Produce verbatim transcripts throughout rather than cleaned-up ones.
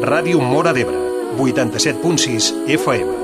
Ràdio Móra d'Ebre, vuitanta-set punt sis F M.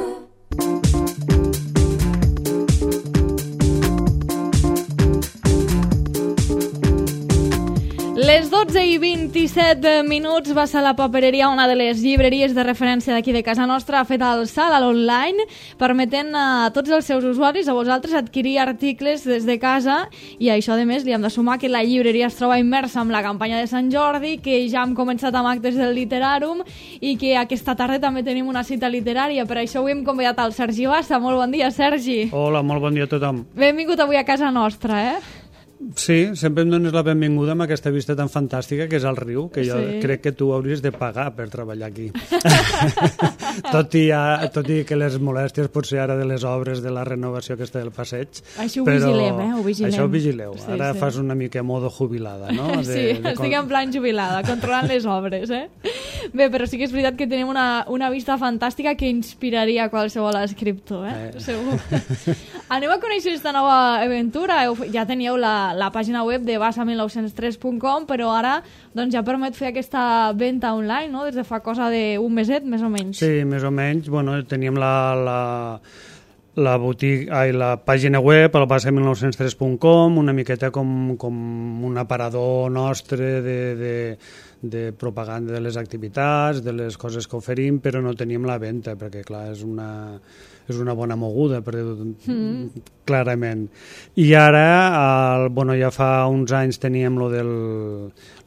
Les dotze i vint-i-set minuts va ser la Papereria, una de les llibreries de referència d'aquí de casa nostra, ha fet el salt a l'online, permetent a tots els seus usuaris, a vosaltres, adquirir articles des de casa, i a això, a més, li hem de sumar que la llibreria es troba immersa en la campanya de Sant Jordi, que ja hem començat amb actes del Literàrum i que aquesta tarda també tenim una cita literària. Per això avui hem convidat el Sergi Bassa. Molt bon dia, Sergi. Hola, molt bon dia a tothom. Benvingut avui a casa nostra, eh? Sí, sempre em dones la benvinguda amb aquesta vista tan fantàstica que és el riu, que jo Sí. crec que tu hauries de pagar per treballar aquí. tot, i a, tot i que les molèsties potser ara de les obres de la renovació aquesta del passeig. Això ho però vigilem, eh? Ho vigilem. Això ho vigileu. Sí, Ara sí. fas una mica modo jubilada, no? De, Sí, de, estic en plan jubilada, controlant les obres, eh? Bé, però sí que és veritat que tenim una, una vista fantàstica que inspiraria qualsevol escriptor, eh? Eh. Segur. Anem a conèixer aquesta nova aventura. Heu- Ja teníeu la, la pàgina web de bassa mil nou-cents tres punt com, però ara doncs, ja permet fer aquesta venda online, no? Des de fa cosa d'un meset, més o menys. Sí, més o menys. Bueno, teníem la, la, la, botiga, ai, la pàgina web, el bassa mil nou-cents tres punt com, una miqueta com, com un aparador nostre de, de, de propaganda de les activitats, de les coses que oferim, però no teníem la venda, perquè clar, és una, és una bona moguda, per dir-ho mm. clarament. I ara, el, bueno, ja fa uns anys teníem lo, del,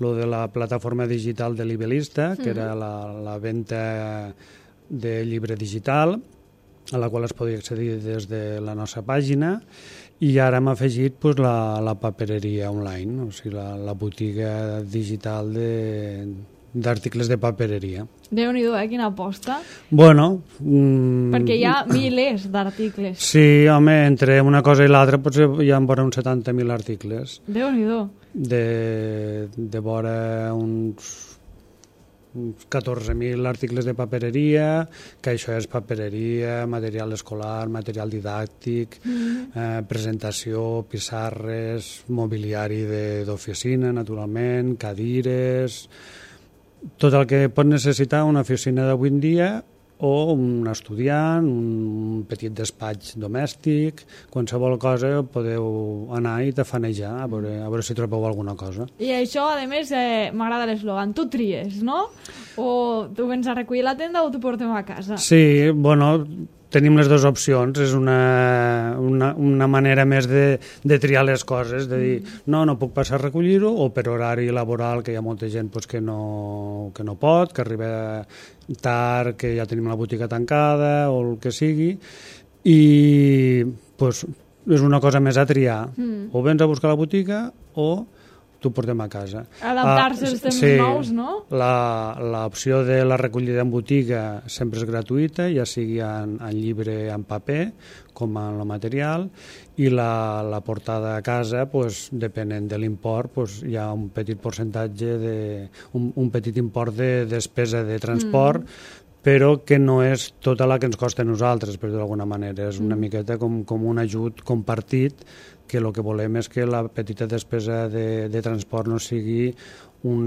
lo de la plataforma digital de Libelista, que mm. era la, la venda de llibre digital, a la qual es podia accedir des de la nostra pàgina, i ara hem afegit pues, la, la papereria online, o sigui, la, la botiga digital de, d'articles de papereria. Déu-n'hi-do, eh? Quina aposta. Bueno... Mm, Perquè hi ha milers d'articles. Sí, home, entre una cosa i l'altra potser hi ha vora uns setanta mil articles. Déu-n'hi-do. De, de vora uns... uns catorze mil articles de papereria, que això és papereria, material escolar, material didàctic, mm. eh, presentació, pissarres, mobiliari de- d'oficina, naturalment, cadires, tot el que pot necessitar una oficina d'avui en dia, o un estudiant, un petit despatx domèstic, qualsevol cosa podeu anar i tafanejar a veure, a veure si trobeu alguna cosa. I això, a més, eh, m'agrada l'eslògan. Tu tries, no? O tu vens a recollir la tenda o t'ho portem a casa. Sí, bueno, tenim les dues opcions, és una, una, una manera més de, de triar les coses, de dir, no, no puc passar a recollir-ho, o per horari laboral, que hi ha molta gent pues, que, no, que no pot, que arriba tard, que ja tenim la botiga tancada, o el que sigui, i pues, és una cosa més a triar. Mm. O vens a buscar la botiga, o t'ho portem a casa. Adaptar-se als temps sí, nous, no? La, l'opció de la recollida en botiga sempre és gratuïta, ja sigui en, en llibre en paper com en el material, i la, la portada a casa, pues, depenent de l'import, pues, hi ha un petit percentatge, de, un, un petit import de despesa de transport, mm. però que no és tota la que ens costa a nosaltres, per dir d'alguna manera. És una mm. miqueta com, com un ajut compartit, que el que volem és que la petita despesa de, de transport no sigui un,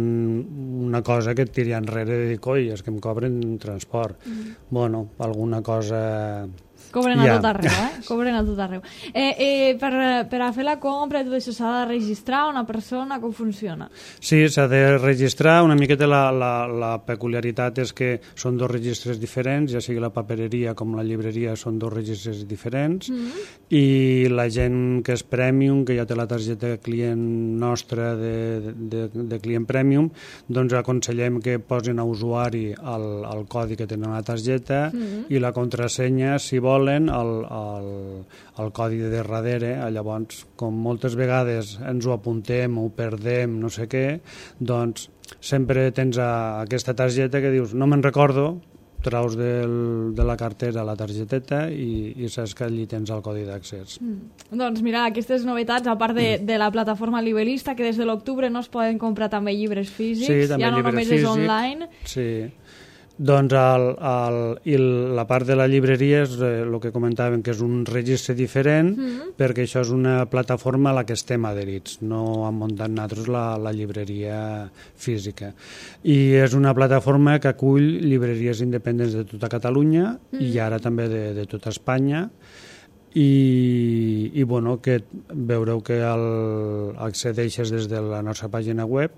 una cosa que et tiri enrere de dir, coi, és que em cobren transport. Mm. Bueno, alguna cosa... Cobren a ja. tot arreu, eh? Cobren a tot arreu. Eh, eh, per, per a fer la compra i tot això s'ha de registrar una persona? Com funciona? Sí, s'ha de registrar. Una miqueta la, la, la peculiaritat és que són dos registres diferents, ja sigui la papereria com la llibreria són dos registres diferents, mm-hmm. i la gent que és premium, que ja té la targeta client nostra de, de, de client premium, doncs aconsellem que posin a usuari el, el codi que tenen a la targeta, mm-hmm. i la contrasenya, si volen, el, el, el codi de darrere. Llavors, com moltes vegades ens ho apuntem, ho perdem, no sé què, doncs sempre tens a, aquesta targeta que dius, no me'n recordo, traus del, de la cartera la targeteta i, i saps que allí tens el codi d'accés. Mm. Doncs mira, aquestes novetats, a part de, de la plataforma Libelista, que des de l'octubre no es poden comprar també llibres físics, Sí, també ja no llibre només físic, és online. Sí. Doncs el, el, i la part de la llibreria és eh, el que comentaven, que és un registre diferent, mm. perquè això és una plataforma a la que estem adherits, no hem muntat nosaltres la, la llibreria física. I és una plataforma que acull llibreries independents de tota Catalunya mm. i ara també de, de tota Espanya, i, i bueno, que veureu que el, accedeixes des de la nostra pàgina web,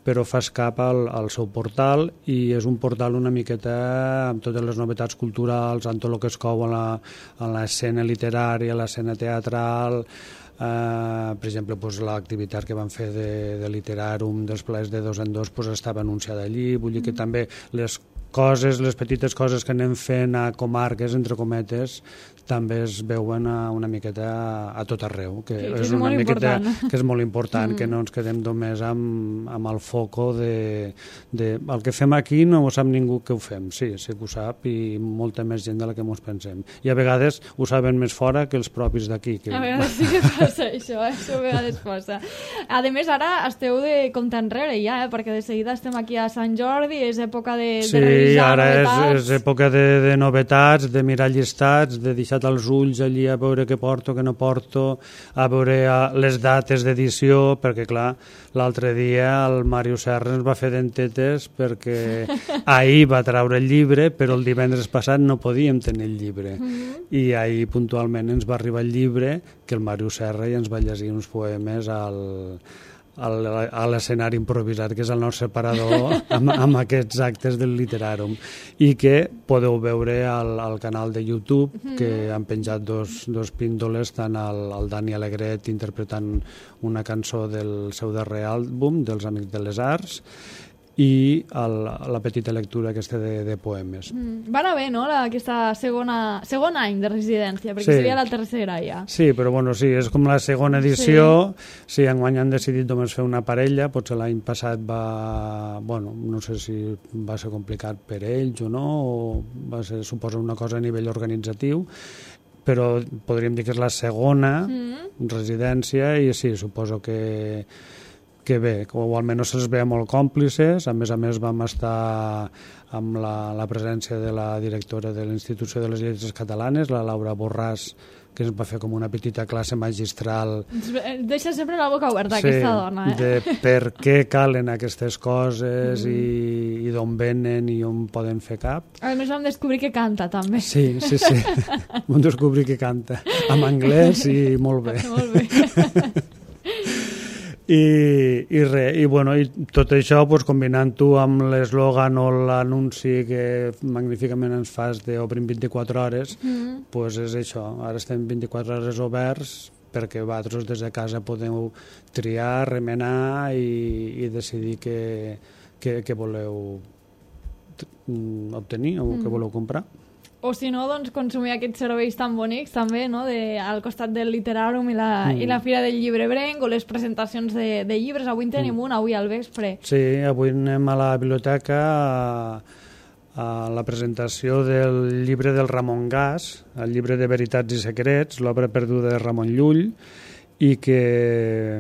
però fas cap al, al seu portal, i és un portal una miqueta amb totes les novetats culturals, amb tot el que es cou a l'escena literària, a l'escena teatral, eh, per exemple, pues, l'activitat que van fer de, de Literàrum, dels plaers de dos en dos, pues, estava anunciada allí, vull dir que també les coses, les petites coses que anem fent a comarques, entre cometes, també es veuen a una miqueta a tot arreu, que, que, que és, és una miqueta important. que és molt important, mm. que no ens quedem només amb, amb el foco de, de el que fem aquí no ho sap ningú que ho fem, sí, sí que ho sap, i molta més gent de la que ens pensem, i a vegades ho saben més fora que els propis d'aquí. Que... A vegades sí que passa això, eh? Això a vegades passa. A més, ara esteu de compte enrere ja, eh? Perquè de seguida estem aquí a Sant Jordi, és època de, sí, de revisar ara novetats. És, és època de, de novetats, de mirar llistats, de deixar els ulls allí a veure què porto, què no porto, a veure les dates d'edició, perquè clar, l'altre dia el Màrius Serra ens va fer dentetes perquè ahir va treure el llibre, però el divendres passat no podíem tenir el llibre. Mm-hmm. I ahir puntualment ens va arribar el llibre, que el Màrius Serra ja ens va llegir uns poemes al... a l'escenari improvisat, que és el nostre parador amb, amb aquests actes del Literàrum, i que podeu veure al, al canal de YouTube, que han penjat dos, dos píndoles, tant el, el Dani Alegret interpretant una cançó del seu darrer àlbum, dels Amics de les Arts, i el, la petita lectura aquesta de, de poemes. Mm. Va anar bé, no?, la, aquesta segona, segon any de residència, perquè sí. seria la tercera ja. Sí, però bueno, sí, és com la segona edició. Sí, sí, enguany han decidit només fer una parella, potser l'any passat va... Bueno, no sé si va ser complicat per ells o no, o va ser, suposa, una cosa a nivell organitzatiu, però podríem dir que és la segona mm. residència, i sí, suposo que que bé, o almenys se'ls veia molt còmplices. A més a més vam estar amb la, la presència de la directora de l'Institució de les Lletres Catalanes, la Laura Borràs, que ens va fer com una petita classe magistral. Deixa sempre la boca oberta, sí, aquesta dona. Eh? De per què calen aquestes coses mm. i, i d'on venen i on poden fer cap. A més vam descobrir que canta, també. Sí, sí, sí. Vam descobrir que canta. En anglès i molt bé. Molt bé. I, i res, i, bueno, i tot això pues, combinant-ho amb l'eslògan o l'anunci que magníficament ens fas d'Obrim vint-i-quatre hores, mm. pues és això, ara estem vint-i-quatre hores oberts perquè vosaltres des de casa podeu triar, remenar i, i decidir què, què, què voleu obtenir o mm. què voleu comprar. O si no, doncs, consumir aquests serveis tan bonics també, no?, de, al costat del Literàrum i la, mm. i la Fira del Llibrebrenc, o les presentacions de, de llibres. Avui en tenim mm. un, avui al vespre. Sí, avui anem a la biblioteca a, a la presentació del llibre del Ramon Gas, el llibre de Veritats i Secrets, l'obra perduda de Ramon Llull, i que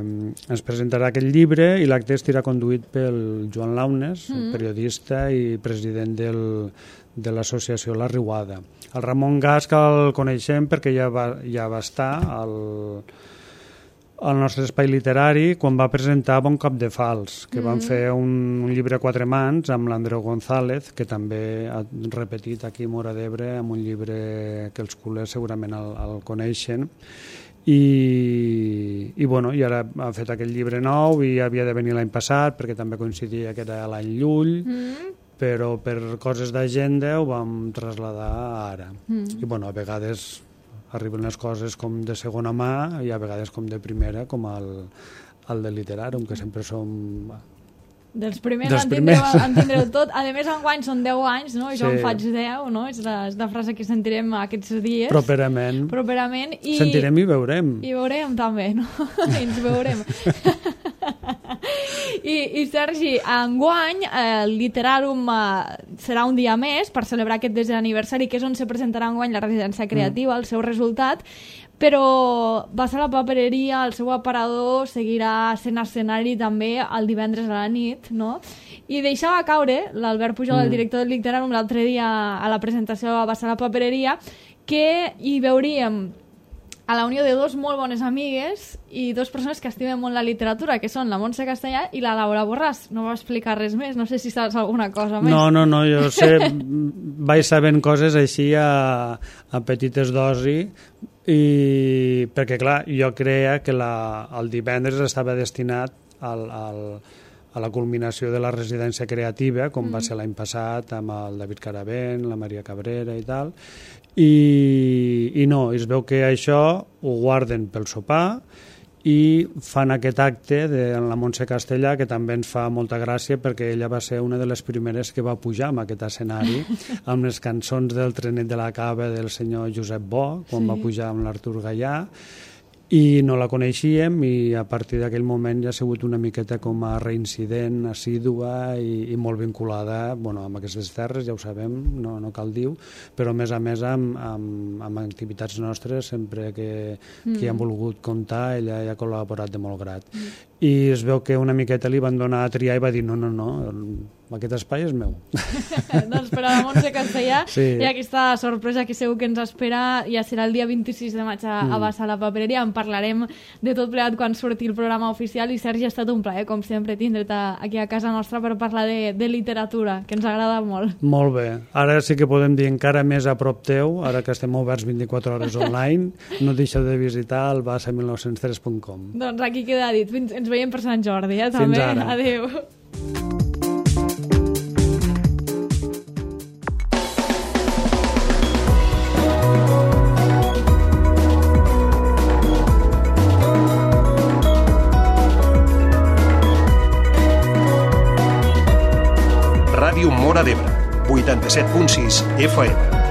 ens presentarà aquest llibre, i l'acte estarà conduït pel Joan Launes, mm. periodista i president del de l'associació La Riuada. El Ramon Gas, que el coneixem perquè ja va, ja va estar al, al nostre espai literari quan va presentar Bon Cop de Fals, que mm. van fer un, un llibre a quatre mans amb l'Andreu González, que també ha repetit aquí a Móra d'Ebre amb un llibre que els culers segurament el, el coneixen. I, i, bueno, i ara ha fet aquest llibre nou i havia de venir l'any passat perquè també coincidia que era l'any Llull, mm. però per coses d'agenda ho vam traslladar ara. Mm. I bueno, a vegades arriben les coses com de segona mà i a vegades com de primera, com el, el de Literàrum, que sempre som... Dels primers, Dels en, tindreu, primers. en tindreu tot. A més, enguany són deu anys, no? I jo sí. en faig deu, no? És la, és la frase que sentirem aquests dies. Properament. Properament. I... Sentirem i veurem. I veurem també, no? I ens veurem. I, I Sergi, enguany el Literàrum eh, serà un dia més per celebrar aquest desè aniversari, que és on se presentarà enguany la residència creativa, mm. el seu resultat, però va ser la papereria, el seu aparador seguirà sent escenari també el divendres a la nit, no? I deixava caure l'Albert Pujol, mm. el director del Literàrum, l'altre dia a la presentació a Bassa la Papereria, que hi veuríem a la unió de dos molt bones amigues i dos persones que estimen molt la literatura, que són la Montse Castellà i la Laura Borràs. No va explicar res més, no sé si saps alguna cosa més. No, no, no, jo sé, vaig sabent coses així a, a petites dosis, i perquè clar, jo creia que la, el divendres estava destinat al, al, a la culminació de la residència creativa, com mm. va ser l'any passat amb el David Caravent, la Maria Cabrera i tal, i, i no, es veu que això ho guarden pel sopar i fan aquest acte de la Montse Castellà, que també ens fa molta gràcia perquè ella va ser una de les primeres que va pujar en aquest escenari amb les cançons del Trenet de la Cava del senyor Josep Bo, quan sí. va pujar amb l'Artur Gallà, i no la coneixíem, i a partir d'aquell moment ja ha sigut una miqueta com a reincident, assídua i, i molt vinculada, bueno, amb aquestes terres, ja ho sabem, no, no cal dir, però a més a més amb, amb, amb activitats nostres, sempre que, mm. que han volgut comptar, ella ja ha col·laborat de molt grat. Mm. I es veu que una miqueta li van donar a triar i va dir no, no, no, aquest espai és meu. Doncs per a la Montse Castellà sí. hi ha aquesta sorpresa que segur que ens espera, ja serà el dia vint-i-sis de maig a, mm. a Bassa la Papereria. En parlarem de tot plegat quan surti el programa oficial, i Sergi, ha estat un plaer, com sempre, tindre't aquí a casa nostra per parlar de, de literatura, que ens agrada molt. Molt bé. Ara sí que podem dir encara més a prop teu, ara que estem oberts vint-i-quatre hores online, no deixeu de visitar el bassa mil nou-cents tres punt com. Doncs aquí queda dit. Fins, ens veiem per Sant Jordi, eh, també. Fins ara. Adéu. Ràdio Móra d'Ebre, vuitanta-set punt sis F M.